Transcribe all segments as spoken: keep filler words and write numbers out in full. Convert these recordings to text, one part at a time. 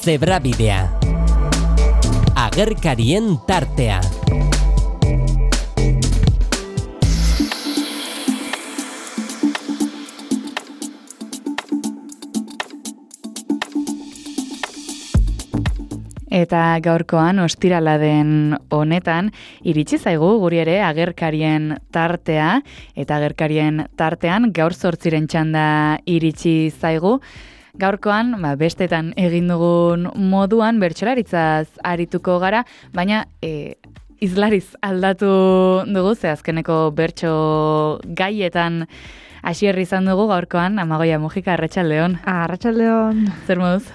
Zebrabidea. Agerkarien tartea. Eta gaurkoan ostirala den honetan iritsi zaigu guri ere agerkarien tartea, eta agerkarien tartean gaur zortziren txanda iritsi zaigu. Gaurkoan, ba, bestetan egin dugun moduan bertsolaritzaz arituko gara, baina e, izlariz aldatu dugu, ze azkeneko bertso gaietan hasierri izan dugu gaurkoan. Amagoia Mujika, arratsaldeon. Arratsaldeon. Zer moduz?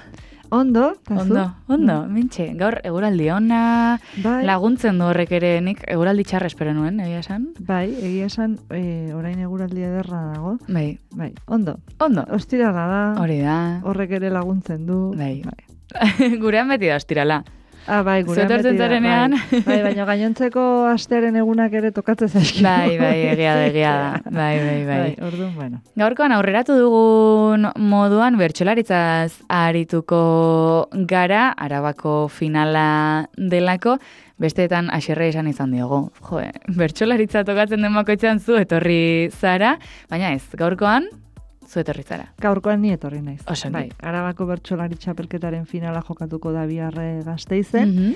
Ondo, ondo, ondo, mintxe, gaur eguraldi ona, bai. Laguntzen du horrek ere, nik eguraldi txarra espero nuen, egia esan? Bai, egia esan, e, orain eguraldi ederra dago. Bai. Bai, ondo. Ondo. Ostirala da. Hori da. Horrek ere laguntzen du. Bai. bai. Gurean beti da ostirala. Ah, bai, gurean beti da. Bai, bai, baina gainontzeko astearen egunak ere tokatzen zaizkigu. Bai, bai, egia da, egia da. Bai, bai, bai. Bai, orduan, bueno. Gaurkoan aurreratu dugun moduan bertsolaritzaz arituko gara, Arabako finala delako, besteetan haserre esan izan diogu. Jo, bertsolaritza tokatzen den bakoitzean zu etorri zara, baina ez, gaurkoan zu etorri zara. Gaurkoan ni etorri naiz. Oso bai, Arabako bertsolari txapelketaren finala jokatuko da biharre Gasteizen, mm -hmm.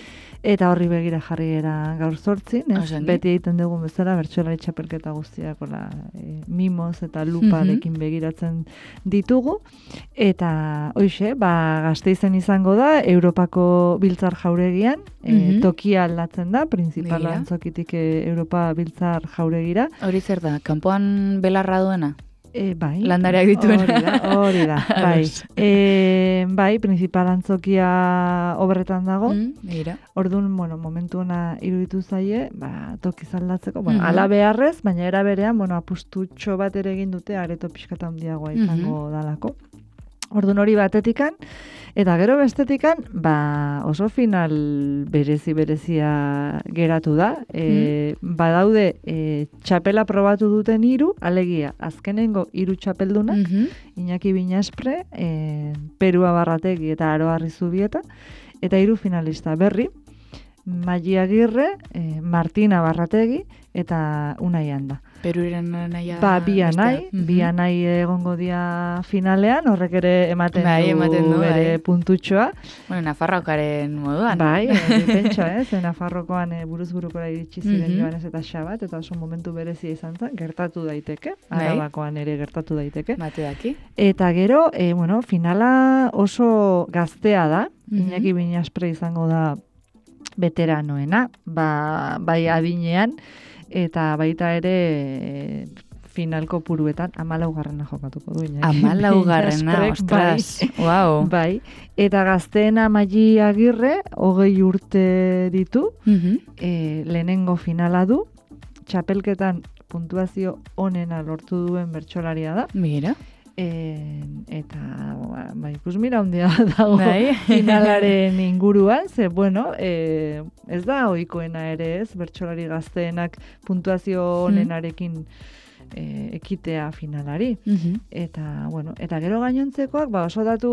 eta horri begira jarri era gaur zortzin, ez? Beti egiten dugun bezala bertsolari txapelketa guztiak ola, e, mimoz eta luparekin mm -hmm. begiratzen ditugu, eta hoixe, ba, Gasteizen izango da, Europako Biltzar Jauregian, mm -hmm. e, tokia aldatzen da, printzipala antzokitik e, Europa Biltzar Jauregira. Hori zer da, kanpoan belarra duena? E, bai. Landareak dituena. Hori da, hori da, bai. E, bai, principal antzokia obretan dago. Mm, mira. Orduan, bueno, momentu ona iruditu zaie, ba, toki zaldatzeko, bueno, mm -hmm. ala beharrez, baina era berean, bueno, apustutxo bat ere egin dute, areto pixkata handiagoa izango mm -hmm. dalako. Orduan hori batetikan, eta gero bestetikan, ba, oso final berezi-berezia geratu da. E, mm. Badaude, e, txapela probatu duten hiru, alegia, azkenengo hiru txapeldunak, mm -hmm. Iñaki Binaspre, e, Perua Barrategi eta Aroa Rizubieta, eta hiru finalista berri, Maji Agirre, e, Martina Barrategi, eta Unai Anda. Peruren naia... Ba, bi anai, mm -hmm. bi anai egongo dia finalean, horrek ere ematen, bai, du, ematen du bere bai. puntutxoa. Bueno, Nafarrokaren moduan. Bai, e, pentsa, ez, e, Nafarrokoan e, buruz burukora iritsi ziren mm -hmm. Joanes eta Xabat, eta oso momentu berezia izan zen, gertatu daiteke, bai. Arabakoan ere gertatu daiteke. Bate daki. Eta gero, e, bueno, finala oso gaztea da, mm -hmm. Iñaki Binaspre izango da veteranoena, ba, bai adinean, eta baita ere e, finalko puruetan amalaugarrena jokatuko du. Amalaugarrena, ostras, bai, wow. Bai, eta gazteena Maji Agirre, hogei urte ditu, mm -hmm. e, lehenengo finala du, txapelketan puntuazio onena lortu duen bertsolaria da. Mira. E, eta ba, ikus mira handia dago finalaren inguruan, ze bueno, e, ez da ohikoena ere ez, bertsolari gazteenak puntuazio onenarekin e, ekitea finalari. Mm-hmm. Eta, bueno, eta gero gainontzekoak, ba, oso datu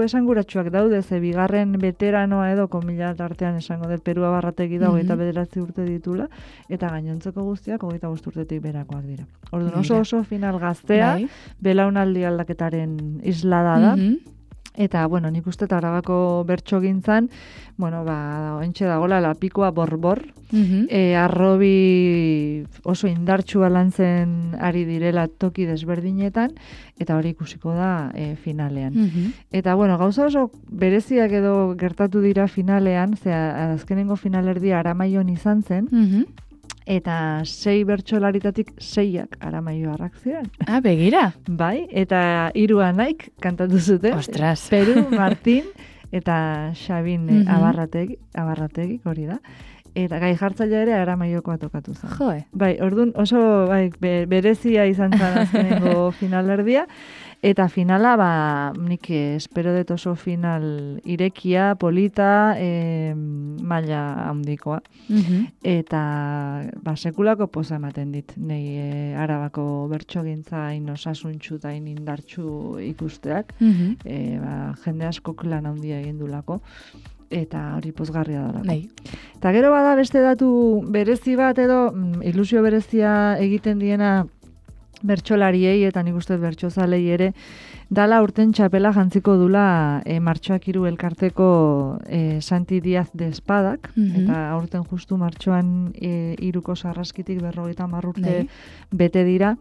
esanguratsuak daude, ze bigarren veteranoa edo, komila tartean esango dut, Perua Barrategi dago, mm-hmm. eta bederatzi urte ditula, eta gainontzeko guztiak, hogeita bost urtetik berakoak dira. Orduan oso oso final gaztea, bai. Belaunaldi aldaketaren islada da, mm-hmm. Eta, bueno, nik uste Arabako bertso gintzan, bueno, ba, ointxe dagoela lapikoa borbor, mm-hmm. e, arrobi oso indartsua lantzen ari direla toki desberdinetan, eta hori ikusiko da e, finalean. Mm-hmm. Eta, bueno, gauza oso bereziak edo gertatu dira finalean, zera, azkenengo finalerdia Aramaion izan zen, mm-hmm. Eta sei bertsolaritatik seiak Aramaioarrak ziren. Ah, begira. Bai, eta hiru anaik kantatu zuten. Ostras. Peru, Martin eta Xabin mm -hmm. abarrategi, abarrategi, hori da. Eta gai jartzailea ere Aramaiokoa tokatu zen. Joe. Bai, orduan oso bai, be, berezia izan zen azkenengo finalerdia. Eta finala, ba, nik espero dut oso final irekia, polita, e, maila handikoa. Mhm. Eta ba, sekulako poza ematen dit, nei e, Arabako bertsogintza hain osasuntxu eta hain indartxu ikusteak, Mhm. e, ba, jende askok lan handia egin dulako, eta hori pozgarria dalako. Bai. Eta gero bada beste datu berezi bat edo mm, ilusio berezia egiten diena bertsolariei eta nik uste dut bertsozalei ere, dala urten txapela jantziko dula e, martxoak hiru elkarteko e, Santi Díaz de Espadak, Mhm. eta aurten justu martxoan e, hiruko sarraskitik berrogeita hamar urte Bai. bete dira.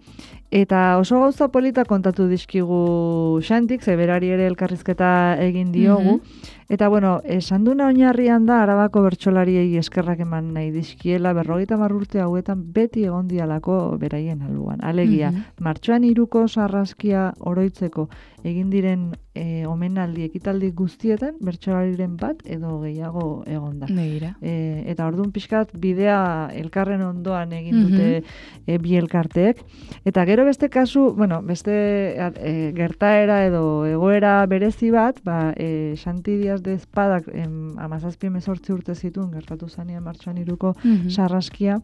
Eta oso gauza polita kontatu dizkigu Xantik, ze berari ere elkarrizketa egin diogu. Eta bueno, esan duna oinarrian da Arabako bertsolariei eskerrak eman nahi dizkiela, berrogeita hamar urte hauetan beti egon dialako beraien albuan. Alegia, Mhm. martxoan hiruko sarraskia oroitzeko egin diren e, omenaldi ekitaldi guztietan bertsolariren bat edo gehiago egon da. Begira. E, eta orduan pixkat bidea elkarren ondoan egin dute e, bi elkarteek. Eta gero beste kasu, bueno, beste e, gertaera edo egoera berezi bat, ba, e, Santi Díaz de Espadak em, amazazpi hemezortzi urte zituen gertatu zanean martxoan hiruko Mhm. sarraskia,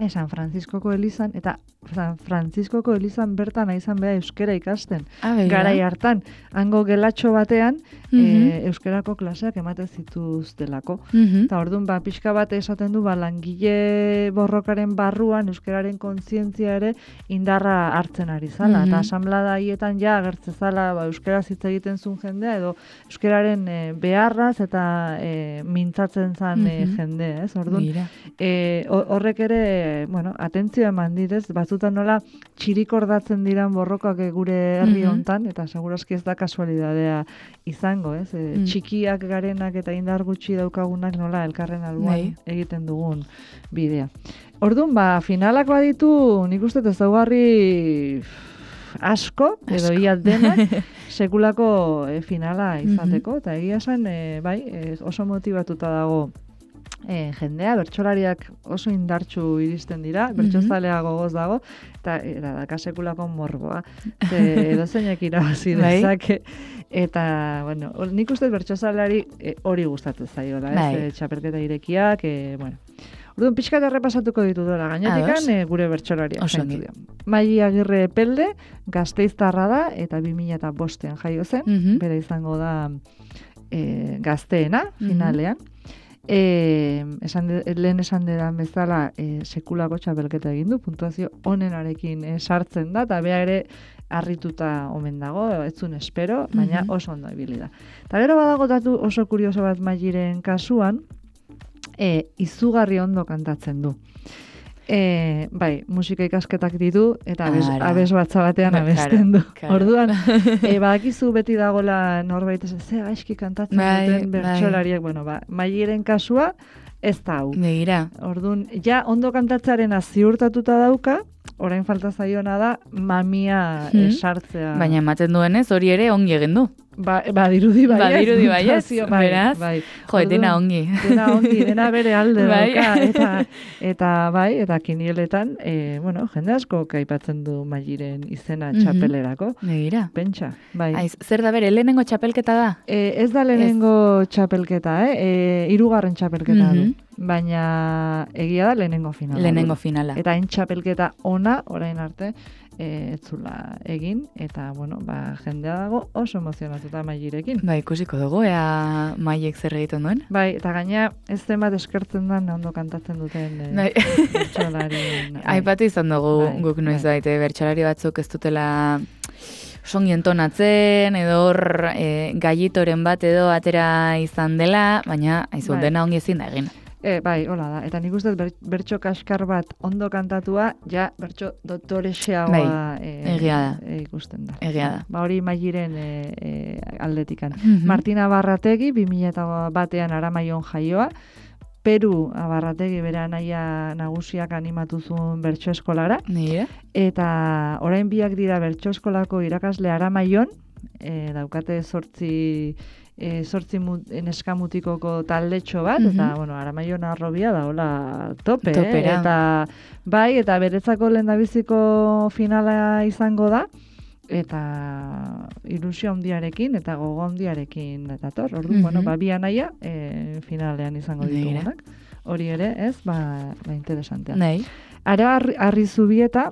e, San Franciscoko elizan, eta San Franciscoko elizan bertan izan beha euskera ikasten. Ah, begira. Garai hartan, hango gelatxo batean, Mhm. e, euskerako klaseak ematen zituztelako. Mhm. Eta orduan, ba, pixka bat esaten du, ba, langile borrokaren barruan euskararen kontzientzia ere indarra hartzen ari zala. Mhm. Eta asamblada haietan ja agertze zala, ba, euskaraz hitz egiten zuen jendea, edo euskararen e, beharraz eta e, mintzatzen zan e, Mhm. jende, ez? Orduan, Begira. e, ho- horrek ere, bueno, atentzioa eman dit, ez? Batzutan nola txirikordatzen diran borrokak e, gure herri Mhm. hontan, eta segurazki ez da kasualidadea izango, ez? E, Mm. Txikiak garenak eta indar gutxi daukagunak nola elkarren alboan Bai. egiten dugun bidea. Orduan, ba, finalak baditu, nik uste ezaugarri asko, edo Asko. ia denak, sekulako e, finala izateko, eta egia esan, e, bai, e, oso motivatuta dago e, jendea, bertsolariak oso indartsu iristen dira, bertsozalea gogoz dago, eta eta daka sekulako morboa. Ze edozeinek irabazi Bai. dezake. Eta, bueno, hor- nik uste bertsozaleari e, hori gustatzen zaiola, ez? Bai. E, txapelketa irekiak, e, bueno. Orduan, pixkat errepasatuko ditudora, gainetik Ados. e, gure bertsolariak. Oso zeintzuk ongi. dira. Maili Agirre Epelde, Gasteiztarra da, eta bi mila bostean jaio zen, Mhm. bera izango da e, gazteena, Mhm. finalean. E, esan de, lehen esan dedan bezala e, sekulako txapelketa egin du, puntuazio onenarekin e, sartzen da, eta bea ere harrituta omen dago, ez zuen espero, baina Mhm. oso ondo ibili da. Eta gero badago datu oso kurioso bat Mailiren kasuan, e, izugarri ondo kantatzen du. E, bai, musika ikasketak ditu, eta abes, Ara. abes batza batean Ba, abesten du. claro, claro. Orduan, e, badakizu beti dagola norbait ez, ze gaizki kantatzen Bai, duten bai. bertsolariek, bueno, ba, Mailiren kasua ez da hau. Begira. Orduan, ja ondo kantatzearena ziurtatuta dauka, orain falta zaiona da mamia Hmm. eh, sartzea. Baina ematen duenez hori ere ongi egin du. Ba, badirudi baiez. Badirudi baiez, puntuazio, bai, beraz. bai. Jo, dena Orduan, ongi. Dena ongi, dena bere alde Bai. dauka. Eta, eta bai, eta kinieletan, e, bueno, jende asko aipatzen du Mailiren izena Mhm. txapelerako. Begira. Pentsa, bai. Aiz, zer da bere, lehenengo txapelketa da? E, ez da lehenengo txapelketa, eh? E, hirugarren txapelketa Mhm. du. Baina egia da lehenengo finala. Lehenengo du. finala. Eta hain txapelketa ona, orain arte, e, etzula egin, eta, bueno, ba, jendea dago oso emozionatuta Mailirekin. Ba, ikusiko dugu, ea Mailek zer egiten duen. Bai, eta gaina ez zenbat eskertzen da ondo kantatzen duten e, Bai. bertsolarien. bai. Aipatu izan dugu Bai, guk noiz bai. baite, bertsolari batzuk ez dutela songi entonatzen, edo hor e, gallitoren bat edo atera izan dela, baina aizu, Bai. dena ongi ezin da egin. E, bai, hola da. Eta nik uste dut ber, bertso kaskar bat ondo kantatua, ja bertso dotorexeagoa Bai, e, egia da. e, ikusten da. Egia da. Ba hori Mailiren e, e, aldetikan. Mhm. Martina Barrategi, bi mila batean Aramaion jaioa, Peru Abarrategi bere anaia nagusiak animatu zuen bertso eskolara, Nire? eta orain biak dira bertso eskolako irakasle Aramaion, e, daukate zortzi e, zortzi mut, neskamutikoko taldetxo bat, Mhm. eta, bueno, Aramaion arrobia da, hola, tope, eh? Topera. Eta, bai, eta beretzako lehendabiziko finala izango da, eta ilusio handiarekin eta gogo handiarekin dator. Orduan, Mhm. bueno, ba, bi anaia e, finalean izango ditugunak. Hori ere, ez, ba, ba interesantea. Nahi. Ara Arri Zubieta,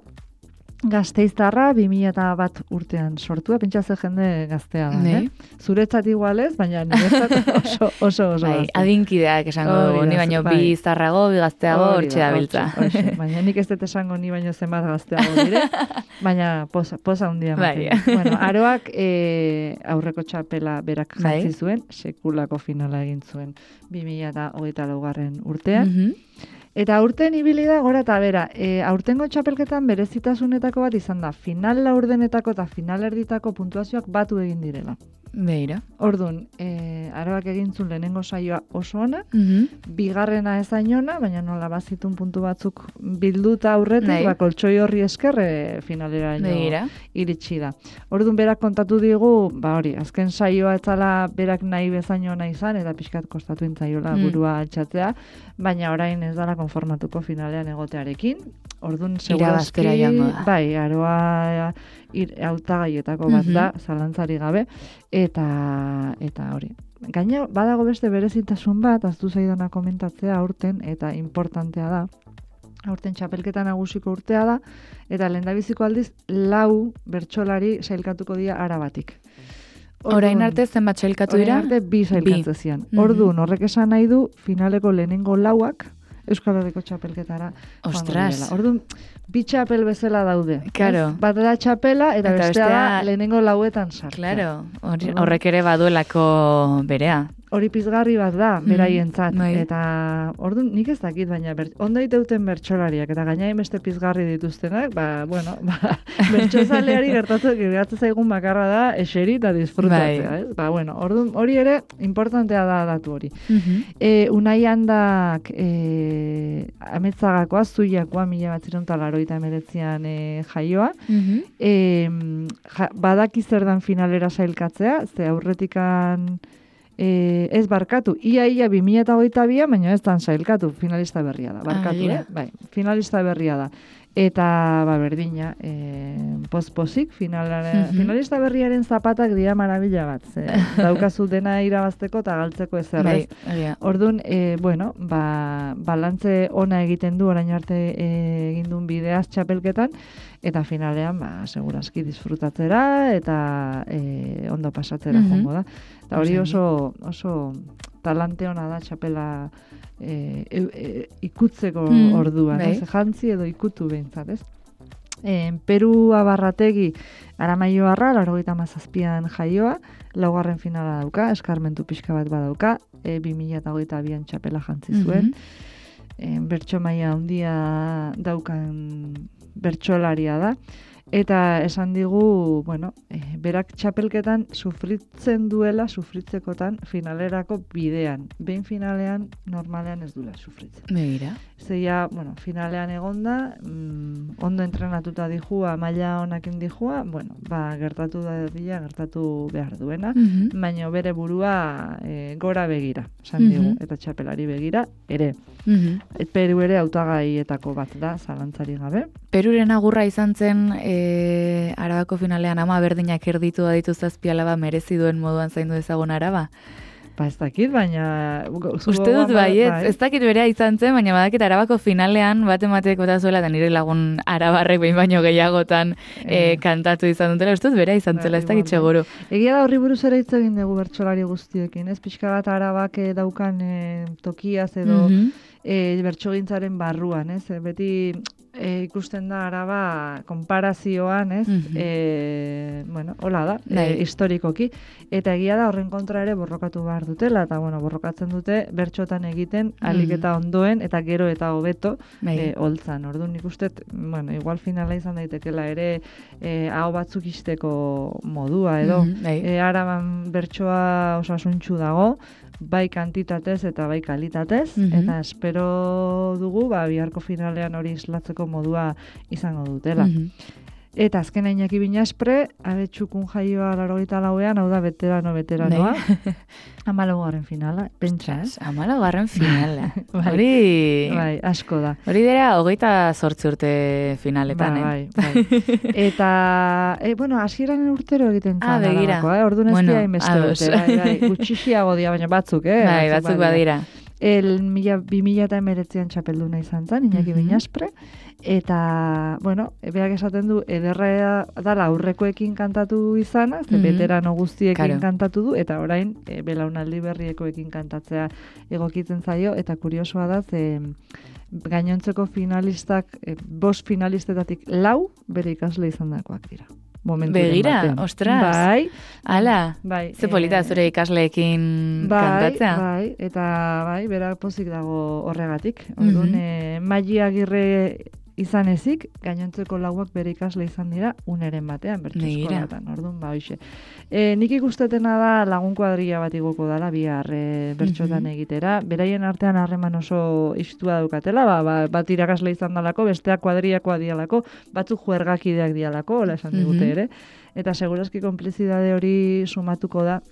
Gasteiztarra bi mila bat urtean sortua, pentsa ze jende gaztea da, Nei. eh? Zuretzat igualez, baina niretzat oso oso oso Bai, gaztea. adinkideak esango Hori dugu, ni da, baino bai. bi zarrago, bi gazteago, Hori hortxe da, da biltza. hortxe, hortxe. Baina nik ez dut esango ni baino zenbat gazteago dire, baina posa, posa handia Bai. ematen. Bueno, Aroak e, aurreko txapela berak Bai. jantzi zuen, sekulako finala egin zuen bi mila hogeita laugarren urtean. Mhm. Eta aurten ibili da gora eta bera, e, aurtengo txapelketan berezitasunetako bat izan da, final laurdenetako eta final erditako puntuazioak batu egin direla. Beira. Orduan, e, Aroak egintzun lehenengo saioa oso ona, Mhm. bigarrena ezain ona, baina nola bazitun puntu batzuk bilduta aurretik, Nahi. ba, koltsoi horri esker e, finalera Begira. iritsi da. Orduan berak kontatu digu, ba hori, azken saioa etzala berak nahi bezain ona izan, eta pixkat kostatu intzaiola Mm. burua altxatzea, baina orain ez dala konformatuko finalean egotearekin. Orduan, Irabaztera segurazki, joango da. bai, Aroa ir, hautagaietako bat Mhm. da, zalantzari gabe, eta eta hori. Gaina, badago beste berezitasun bat, aztu zaidana komentatzea aurten, eta importantea da, aurten txapelketa nagusiko urtea da, eta lehendabiziko aldiz, lau bertsolari sailkatuko dira Arabatik. Orain arte zenbat sailkatu dira? Orain arte bi sailkatze zian. Mhm. Orduan, horrek esan nahi du, finaleko lehenengo lauak, Euskal Herriko txapelketara joango Ostras. direla. Orduan, bi txapel bezala daude. Claro. Ez? Bat da txapela, eta, Eta bestea da bestea- lehenengo lauetan sartzea. Claro, hori- Orduan- horrek ere baduelako berea. Hori pizgarri bat da, Mhm, beraientzat. bai. Eta, orduan, nik ez dakit, baina ber, ondo iteuten bertsolariak, eta gaina beste pizgarri dituztenak, ba, bueno, ba, bertsozaleari gertatu, gertatzen zaigun bakarra da, eseri eta disfrutatzea, Bai. ez? Ba, bueno, orduan, hori ere, importantea da datu hori. Mhm. E, Unai Handak e, ametzagakoa, zuiakoa, mila bat ziren talaroita emeretzian e, jaioa, Mhm. e, ja, badaki zer dan finalera sailkatzea, ze aurretikan e, ez barkatu, ia ia bi mila hogeita bian, baina ez dan sailkatu, finalista berria da, barkatu, begira. eh? Bai, finalista berria da. Eta, ba, berdina, e, post-posik, finalaren, Mhm. finalista berriaren zapatak dira marabila bat, ze, daukazu dena irabazteko eta galtzeko ezer, Bai, ez? egia. Orduan, e, bueno, ba, balantze ona egiten du orain arte e, egin duen bideaz txapelketan, eta finalean, ba, segurazki disfrutatzera eta e, ondo pasatzera Mhm. joango da. Eta hori Oso oso, oso talante ona da txapela e, e, e, ikutzeko Mm, orduan, bai. ez? Jantzi edo ikutu behintzat, ez? E, Peru Abarrategi Aramaioarra, laurogeita hamazazpian jaioa, laugarren finala dauka, eskarmentu pixka bat badauka, e, bi mila hogeita bian txapela jantzi zuen. Mhm. E, bertso maila handia daukan bertsolaria da. Eta esan digu, bueno, e, berak txapelketan sufritzen duela, sufritzekotan finalerako bidean. Behin finalean, normalean ez duela sufritzen. Begira. Zeia, bueno, finalean egonda, mm, ondo entrenatuta dijua, maila honakin dijua, bueno, ba, gertatu da dira, gertatu behar duena, Mhm. baina bere burua e, gora begira, esan Mhm. digu, eta txapelari begira, ere. Mhm. Et Peru ere hautagaietako bat da, zalantzari gabe. Peruren agurra izan zen e, Arabako finalean ama berdinak erditu aditu zazpi alaba merezi duen moduan zaindu ezagun Araba. Ba, ez dakit, baina... Uste dut bai, ez, ez dakit berea izan zen, baina badakit Arabako finalean bat emateko eta zuela, eta nire lagun arabarrek behin baino gehiagotan e, Eh. kantatu izan dutela, uste dut berea izan Bai, zela, ez dakit igual, seguru. Egia da horri buruz ere hitz egin dugu bertsolari guztiekin, ez? Pixka bat Arabak eh, daukan eh, tokiaz edo Mhm. e, bertsogintzaren barruan, ez? E, beti e, ikusten da Araba konparazioan, ez? Mhm. E, bueno, hola da, Bai. e, historikoki. Eta egia da horren kontra ere borrokatu behar dutela, eta bueno, borrokatzen dute bertxotan egiten alik Mhm. eta ondoen, eta gero eta hobeto Bai. e, holtzan. Orduan nik uste, bueno, igual finala izan daitekela ere e, hau batzuk izteko modua edo. Mhm, bai. E, Araban bertsoa osasuntxu dago, bai kantitatez eta bai kalitatez, Mhm. eta espero dugu ba, biharko finalean hori islatzeko modua izango dutela. Mhm. Eta azken Iñaki Binaspre, abetxukun jaioa laurogeita lauean, hau da veterano veteranoa. Hamalaugarren finala, pentsa, ez? Hamalaugarren finala. Bai. Hori... Bai, asko da. Hori dira, hogeita zortzi urte finaletan, Ba, eh? bai, bai. Eta, e, bueno, hasieran urtero egiten Ah, zan. begira. Eh? Orduan ez Bueno, dira inbeste ados. urte, bai, bai. Gutxixiago dira, baina batzuk, eh? Bai, batzuk badira. El mila, bi mila eta emeretzean txapelduna izan zen, Iñaki Mhm. Binaspre. Eta, bueno, beak esaten du, ederra dala aurrekoekin kantatu izana, ze Mhm. veterano guztiekin Claro. kantatu du, eta orain e, belaunaldi berriekoekin kantatzea egokitzen zaio, eta kuriosoa da, ze gainontzeko finalistak, e, bost finalistetatik lau bere ikasle izan dakoak dira. Momenturen Begira, batean. ostras. Bai, Ala, bai. ze polita eh, zure ikasleekin Bai, kantatzea. bai, eta bai, bera pozik dago horregatik. Orduan, Mhm. eh, Maili Agirre izan ezik, gainontzeko lauak bere ikasle izan dira uneren batean, bertso Begira. eskolatan. Orduan, ba, hoxe. E, nik ikustetena da lagun kuadrilla bat igoko dala, bihar e, bertxotan Mhm. egitera. Beraien artean harreman oso istua daukatela, ba, ba, bat irakasle izan dalako, besteak kuadrillakoa dialako, batzuk juergakideak dialako, hola esan digute Mhm. ere. Eta segurazki konplizidade hori sumatuko da.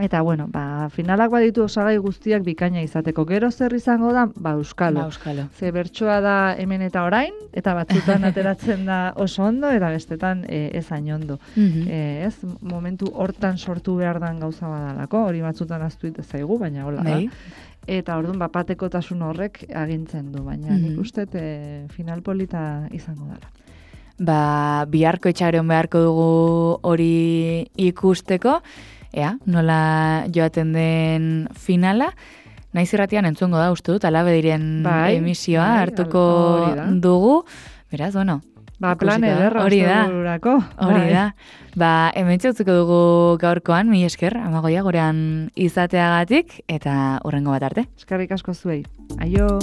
Eta, bueno, ba, finalak baditu osagai guztiak bikaina izateko. Gero zer izango da, ba, euskalo. Ba, euskalo. Ze bertsoa da hemen eta orain, eta batzutan ateratzen da oso ondo, eta bestetan e, ez hain ondo. Mhm. E, ez, momentu hortan sortu behar dan gauza badalako, hori batzutan aztu ite zaigu, baina hola da. Bai. Eta orduan, ba, patekotasun horrek agintzen du, baina Mhm. nik uste e, final polita izango dela. Ba, biharko itxaron beharko dugu hori ikusteko, ea, nola joaten den finala, naiz irratian entzungo da, uste dut, alabe diren Bai, emisioa bai, hartuko hori da. dugu, beraz, bueno, Ba, plan ikusiko da. ederra Hori da. ostegurako. hori Bai. da. Ba, hemen txautziko dugu gaurkoan, mi esker, amagoia gurean izateagatik, eta hurrengo bat arte. Eskerrik asko zuei. Aio!